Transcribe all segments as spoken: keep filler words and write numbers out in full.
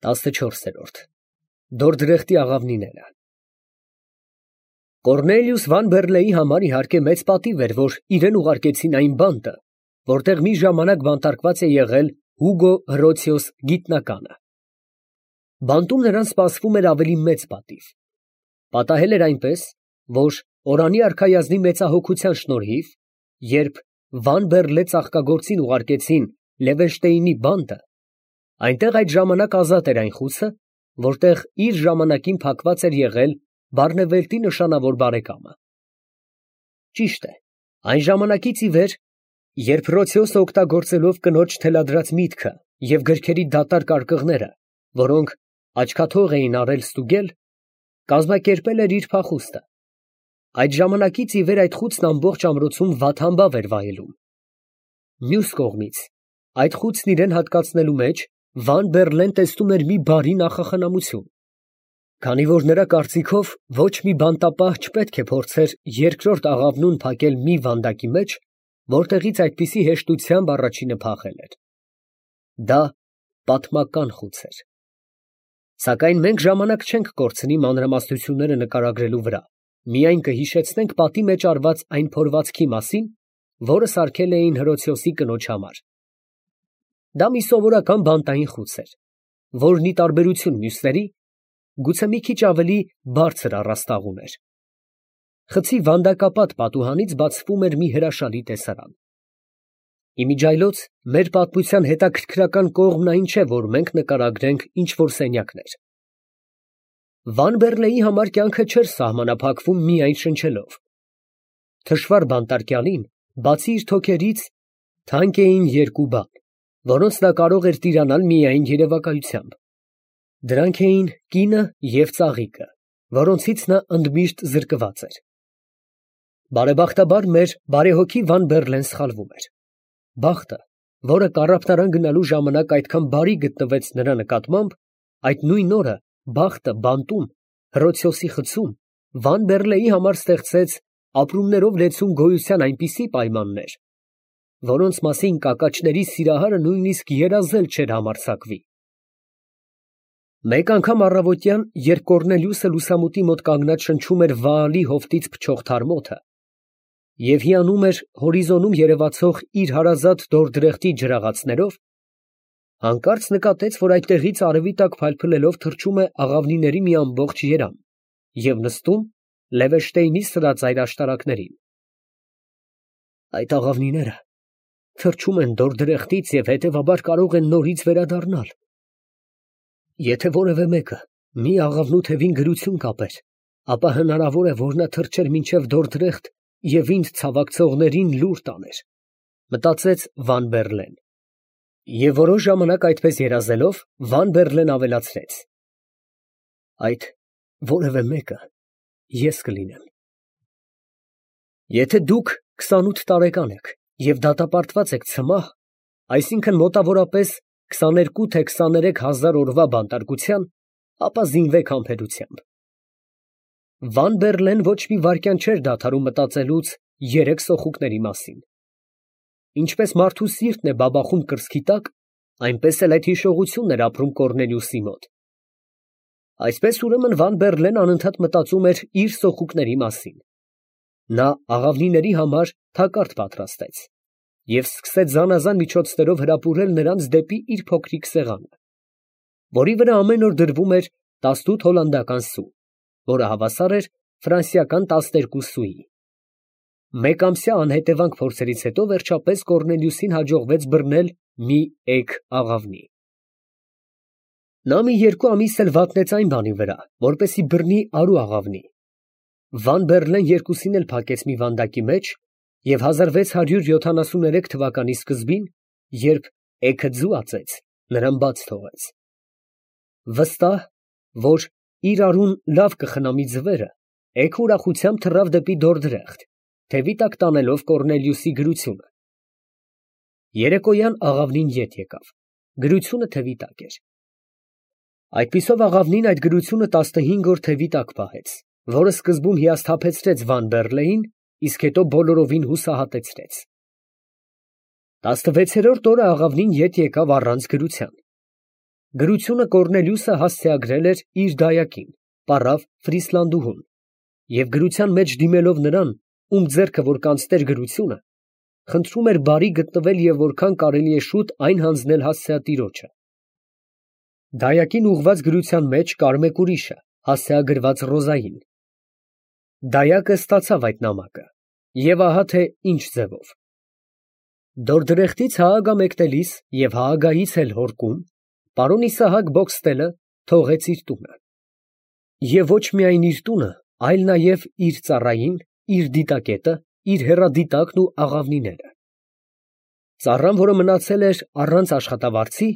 տասնչորսերորդ Դորդրեխտի աղավնիները Կոռնելիուս Վան Բեռլեի համար իհարկե մեծ պատիվ էր, որ իրեն ուղարկեցին այն բանտը, որտեղ մի ժամանակ բանտարկված է եղել Հուգո Հռոցիոս գիտնականը։ Բանտում նրան սպասվում էր ավելի մեծ պատիվ։ Պատահել էր այնպես, որ Օրանի արքայազնի մեծահոգության շնորհիվ, երբ Վան Բեռլե ծաղկագործին ուղարկեցին Լևենշտեյնի բանտը, այնտեղ այդ ժամանակ ազատ էր այն խուցը, որտեղ իր ժամանակին փակված էր եղել Բարնևելտի նշանավոր բարեկամը։ Ճիշտ է, այն ժամանակից ի վեր, երբ Հռոցիոսը օգտագործելով կնոջ թելադրած միտքը և գրքերի դատարկ արկղները, որոնք աչքաթող էին արել ստուգել, կազմակերպել էր իր փախուստը, այդ ժամանակից ի վեր այդ խուցն ամբողջ ամրոցում վատհամբավ էր վայելում։ Մյուս կողմից, այդ խուցն իրան հատկացնելու մեջ Վան Բեռլեն տեսնում էր մի բարի նախախնամություն, քանի որ նրա կարծիքով ոչ մի բանտապահ չպետք է փորձեր երկրորդ աղավնուն փակել մի վանդակի մեջ, որտեղից այդպիսի հեշտությամբ առաջինը փախել էր։ Դա պատմական խուց էր։ Սակայն մենք ժամանակ չենք կորցնի մանրամասնությունները նկարագրելու վրա, միայն կհիշեցնենք պատի մեջ արված այն փորվածքի մասին, որը սարքել էին Հռոցիոսի կնոջ համար։ Դա մի սովորական բանտային խուց էր, որն ի տարբերություն մյուսների, գուցե մի քիչ ավելի բարձր առաստաղ ուներ։ Խցի վանդակապատ պատուհանից բացվում էր մի հրաշալի տեսարան։ Իմիջիայլոց մեր պատմության հետաքրքրական կողմն այն չէ, որ մենք նկարագրենք ինչ-որ սենյակներ։ Վան Բեռլեի համար կյանքը չէր սահմանափակվում միայն շնչելով։ Թշվառ բանտարկյալին, բացի իր թոքերից, թանկ էին երկու բան, որոնց նա կարող էր տիրանալ միայն երևակայությամբ։ Դրանք էին կինը և ծաղիկը, որոնցից նա ընդմիշտ զրկված էր։ Բարեբախտաբար մեր բարեհոգի Վան Բեռլեն սխալվում էր։ Բախտը, որը կառափտարան գնալու ժամանակ այդքան բարի գտնվեց նրա նկատմամբ, այդ նույն օրը բախտը բանտում, Հռոցիոսի խցում, Վան Բեռլեի համար ստեղծեց ապրումներով լեցուն գոյության այնպիսի պայմաններ, որոնց մասին կակաչների սիրահարը նույնիսկ երազել չէր համարձակվի։ Մեկ անգամ առավոտյան, երբ Կոռնելիուսը լուսամուտի մոտ կանգնած շնչում էր Վաալի հովտից փչող թարմոթը և հիանում էր հորիզոնում երևացող իր հարազատ Դորդրեխտի ջրաղացներով, հանկարծ նկատեց, որ այդտեղից արևի տակ փայլփլելով թռչում է աղավնիների մի ամբողջ երամ և նստում Լևենշտեյնի սրածայր աշտարակներին։ Այդ աղավնիները թռչում են Դորդրեխտից և հետևաբար կարող են նորից վերադառնալ։ Եթե որևէ մեկը մի աղավնու թևին գրություն կապեր, ապա հնարավոր է, որ նա թռչեր մինչև Դորդրեխտ և ինձ ցավակցողներին լուր տաներ, մտածեց Վան Բեռլեն։ Եվ որոշ ժամանակ այդպես երազելով, Վան Բեռլեն ավելացրեց. այդ որևէ մեկը ես կլինեմ։ Եթե դուք քսանութ տարեկան եք և դատապարտված եք ցմահ, այսինքն մոտավորապես քսաներկու թե քսաներեք հազար օրվա բանտարկության, ապա զինվեք համբերությամբ։ Վան Բեռլեն ոչ մի վայրկյան չէր դադարում մտածելուց երեք սոխուկների մասին։ Ինչպես մարդու սիրտն է բաբախում կրծքի տակ, այնպես էլ այդ հիշողությունն էր ապրում Կոռնելիուսի մոտ։ Այսպես ուրեմն Վան Բեռլեն անընդհատ մտածում էր իր սոխուկների մասին։ Նա աղավնիների համար թակարդ պատրաստեց և սկսեց զանազան միջոցներով հրապուրել նրանց դեպի իր փոքրիկ սեղանը, որի վրա ամեն օր դրվում էր տասնութ հոլանդական սու, որը հավասար էր ֆրանսիական տասներկու սուի։ Մեկամսյա անհետևանք փորձերից հետո վերջապես Կոռնելիուսին հաջողվեց բռնել մի էգ աղավնի։ Նա մի երկու ամիս էլ վատնեց այն բանի վրա, որպեսզի բռնի արու աղավնի։ Վան Բեռլեն երկուսին էլ փակեց մի վանդակի մեջ և հազար վեց հարյուր յոթանասուներեք թվականի սկզբին, երբ էգը ձուացեց, նրան բաց թողեց։ Վստահ, որ իր արուն լավ կխնամի ձվերը, էգը ուրախությամբ թռավ դեպի Դորդրեխտ, թևի տակ տանելով Կոռնելիուսի գրությունը։ Երեկոյան աղավնին ետ եկավ, գրությունը թևի տակ էր։ Այդպիսով աղավնին այդ գրությունը տասնհինգ օր թևի տակ պահեց, որը սկզբում հիասթափեցրեց Վան Բեռլեին, իսկ հետո բոլորովին հուսահատեցրեց։ Տասնվեցերորդ օրը աղավնին ետ եկավ առանց գրության։ Գրությունը Կոռնելիուսը հասցեագրել էր իր դայակին, պարավ Ֆրիսլանդուհուն, և գրության մեջ դիմելով նրան, ում ձեռքը որ կանցներ գրությունը, խնդրում էր բարի գտնվել և որքան կարելի է շուտ այն հանձնել հասցեատիրոջը։ Դայակին ուղղված գրության մեջ կար մեկ ուրիշը, հասցեագրված Ռոզային։ Դայակը ստացավ այդ նամակը, և ահա թե ինչ ձևով։ Դորդրեխտից Հաագա մեկնելիս և Հաագայից էլ հորկում, պարոն Իսահակ Բոքստելը թողեց իր տունը։ Եվ ոչ միայն իր տունը, այլ նաև իր ծառային, իր դիտակետը, իր հեռադիտակն ու աղավնիները։ Ծառան, որը մնացել էր առանց աշխատավարձի,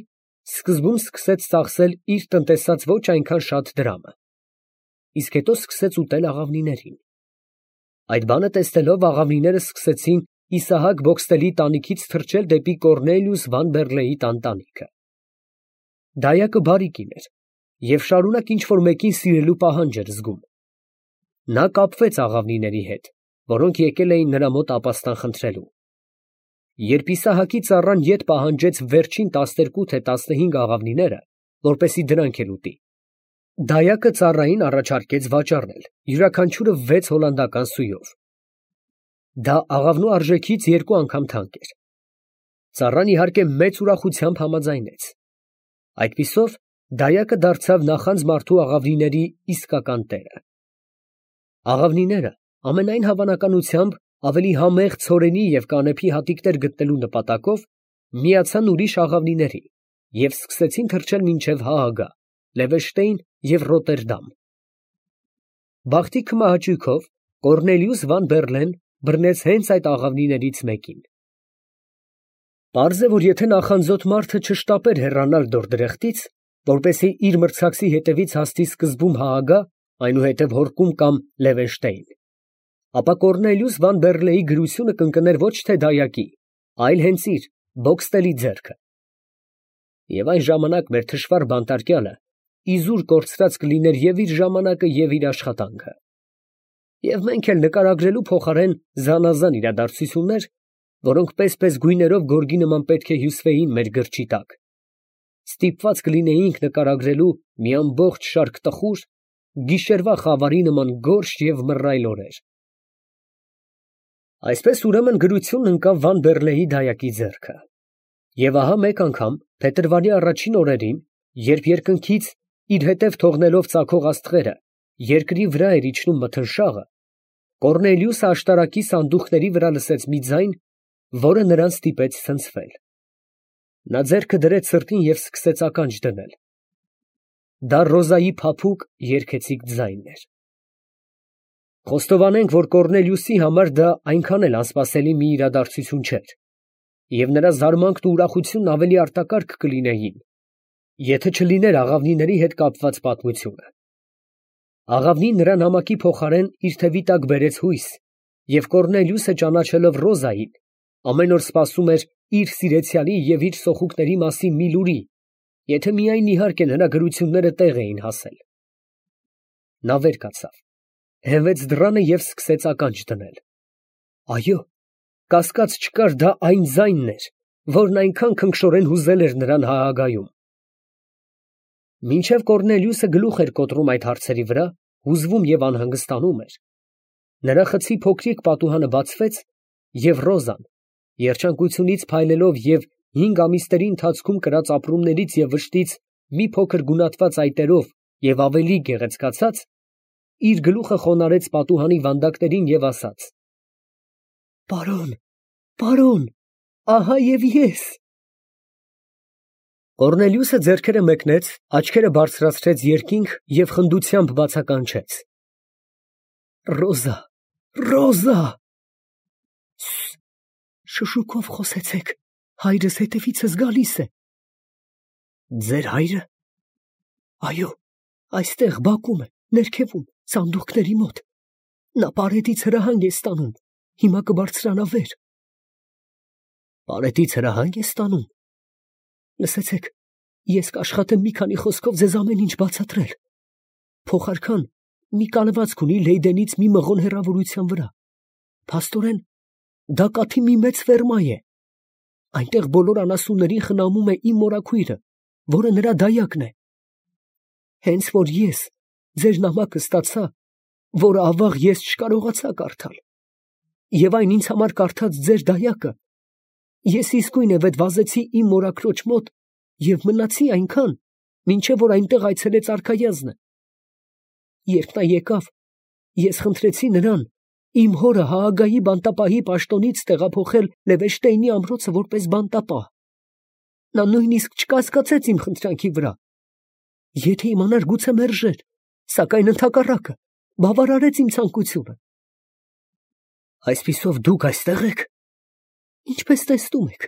սկզբում սկսեց ծախսել իր տնտեսած ոչ այնքան շատ դրամը, իսկ հետո սկսեց ուտել աղավնիներին։ Այդ բանը տեսնելով աղավնիները սկսեցին Իսահակ Բոքստելի տանիքից թռչել դեպի Կոռնելիուս Վան Բեռլեի տան տանիքը։ Դայակը բարի կին էր և շարունակ ինչ֊որ մեկին սիրելու պահանջ էր զգում։ Նա կապվեց աղավնիների հետ, որոնք եկել էին նրա մոտ ապաստան խնդրելու։ Երբ Իսահակի ծառան ետ պահանջեց վերջին տասներկու թե տասնհինգ աղավնիները, որպեսզի դրանք էլ ուտի, դայակը ծառային առաջարկեց վաճառել, յուրաքանչյուրը վեց հոլանդական սույով։ Դա աղավնու արժեքից երկու անգամ թանկ էր։ Ծառան իհարկե մեծ ուրախությամբ համաձայնեց։ Այդպիսով դայակը դարձավ նախանձ մարդու աղավնիների իսկական տերը։ Աղավնիները ամենայն հավանականությամբ ավելի համեղ ցորենի և կանեփի հատիկներ գտնելու նպատակով միացան ուրիշ աղավնիների և սկսեցին թռչել մինչև Հաագա, Լևեշտեյն և Ռոտերդամ։ Բախտի քմահաճույքով Կոռնելիուս Վան Բեռլեն բռնեց հենց այդ աղավնիներից մեկին։ Պարզ է, որ եթե նախանձոտ մարդը չշտապեր հեռանալ Դորդրեխտից, որպեսզի իր մրցակցի հետևից հասնի սկզբում Հաագա, այնուհետև հորկում կամ Լևեշտեյն, ապա Կոռնելիուս Վան Բեռլեի գրությունը կընկներ ոչ թե դայակի, այլ հենց իր Բոքստելի ձեռքը։ Եվ այն ժամանակ մեր թշվառ բանտարկյալը իզուր կորցրած կլիներ և իր ժամանակը, և իր աշխատանքը։ Եվ մենք էլ նկարագրելու փոխարեն զանազան իրադարձություններ, որոնք պես֊պես գույներով գորգի նման պետք է հյուսվեին մեր գրչի տակ, ստիպված կլինեինք նկարագրելու մի ամբողջ շարք տխուր, գիշերվա խավարի նման գորշ և մռայլ օրեր։ Այսպես ուրեմն գրությունն ընկավ Վան Բեռլեի դայակի ձեռքը։ Եվ ահա մեկ անգամ փետրվարի առաջին օրերին, երբ երկնքից իր հետև թողնելով ծագող աստղերը, երկրի վրա էր իջնում մթնշաղը, Կոռնելիուսը աշտարակի սանդուղքների վրա լսեց մի ձայն, որը նրան ստիպեց ցնցվել։ Նա ձեռքը դրեց սրտին և սկսեց ականջ դնել։ Դա Ռոզայի փափուկ, երգեցիկ ձայնն էր։ Խոստովանենք, որ Կոռնելիուսի համար դա այնքան էլ անսպասելի մի իրադարձություն չէր, և նրա զարմանքն ու ուրախությունն ավելի արտակարգ կլինեին, եթե չլիներ աղավնիների հետ կապված պատմությունը։ Աղավնին նրա նամակի փոխարեն իր թևի տակ բերեց հույս, և Կոռնելիուսը ճանաչելով Ռոզային, ամեն օր սպասում էր իր սիրեցյալի և իր սոխուկների մասին մի լուրի, եթե միայն իհարկե նրա գրությունները տեղ էին հասել։ Նա վեր կացավ, հենվեց դռանը և սկսեց ականջ դնել։ Այո, կասկած չկար, դա այն ձայնն էր, որն այնքան քնքշորեն հուզել էր նրան Հաագայում։ Մինչև Կոռնելիուսը գլուխ էր կոտրում այդ հարցերի վրա, հուզվում և անհանգստանում էր, նրա խցի փոքրիկ պատուհանը բացվեց, և Ռոզան, երջանկությունից փայլելով և հինգ ամիսների ընթացքում կրած ապրումներից և վշտից մի փոքր գունատված այտերով և ավելի գեղեցկացած, իր գլուխը խոնարհեց պատուհանի վանդակներին և ասաց. «Պարոն, պարոն, ահա և ես»։ Կոռնելիուսը ձեռքերը մեկնեց, աչքերը բարձրացրեց երկինք և խնդությամբ բացականչեց. «Ռոզա, Ռոզա»։ Շշուկով խոսեցեք, հայրս հետևիցս գալիս է։ Ձեր հայրը։ Այո, այստեղ բակում է, ներքևում, սանդուղքների մոտ։ Նա պարետից հրահանգ է ստանում, հիմա կբարձրանա վեր։ Պարետից հրահանգ է ստանում։ Լսեցեք, ես կաշխատեմ մի քանի խոսքով ձեզ ամեն ինչ բացատրել։ Փոխարքան մի կալվածք ունի Լեյդենից մի մղոն հեռավորության վրա։ Փաստորեն, դա կաթի մի մեծ ֆերմա է։ Այնտեղ բոլոր անասուններին խնամում է իմ մորաքույրը, որը նրա դայակն է։ Հենց որ ես ձեր նամակը ստացա, որը ավաղ ես չկարողացա կարդալ, եւ այն ինձ համար կարդաց ձեր դայակը, ես իսկույն է վեդվազեցի իմ մորաքրոջ մոտ եւ մնացի այնքան, մինչեւ որ այնտեղ այցելեց արքայազնը։ Երբ նա եկավ, ես խնդրեցի նրան իմ հորը Հաագայի բանտապահի պաշտոնից տեղափոխել Լևեշտեյնի ամրոցը որպես բանտապահ։ Նա նույնիսկ չկասկածեց իմ խնդրանքի վրա։ Եթե իմանար, գուցե մերժեր, սակայն ընդհակառակը բավարարեց իմ ցանկությունը։ Այսպիսով դուք այստեղ եք։ Ինչպես տեսնում եք։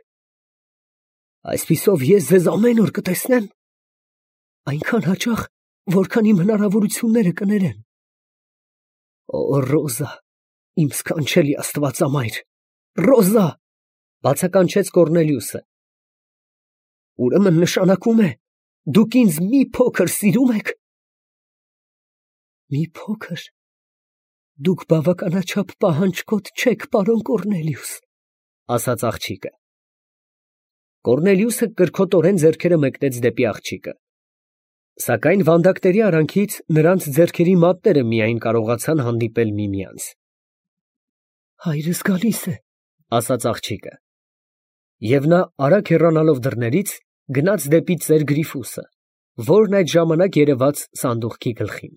Այսպիսով ես ձեզ ամեն օր կտեսնեմ։ Այնքան հաճախ, որքան իմ հնարավորությունները կներեն։ Օ, Ռոզա, իմ սքանչելի աստվածամայր, Ռոզա, բացականչեց Կոռնելիուսը։ Ուրեմն նշանակում է, դուք ինձ մի փոքր սիրում եք։ Մի փոքր։ Դուք բավականաչափ պահանջկոտ չեք, պարոն Կոռնելիուս, ասաց աղջիկը։ Կոռնելիուսը կրքոտորեն ձեռքերը մեկնեց դեպի աղջիկը։ Սակայն վանդակների արանքից նրանց ձեռքերի մատները միայն կարողացան հանդիպել միմյանց։ Հայրս գալիս է, ասաց աղջիկը։ Եվ նա արագ հեռանալով դռներից գնաց դեպի ծեր Գրիֆուսը, որն այդ ժամանակ երևաց սանդուղքի գլխին։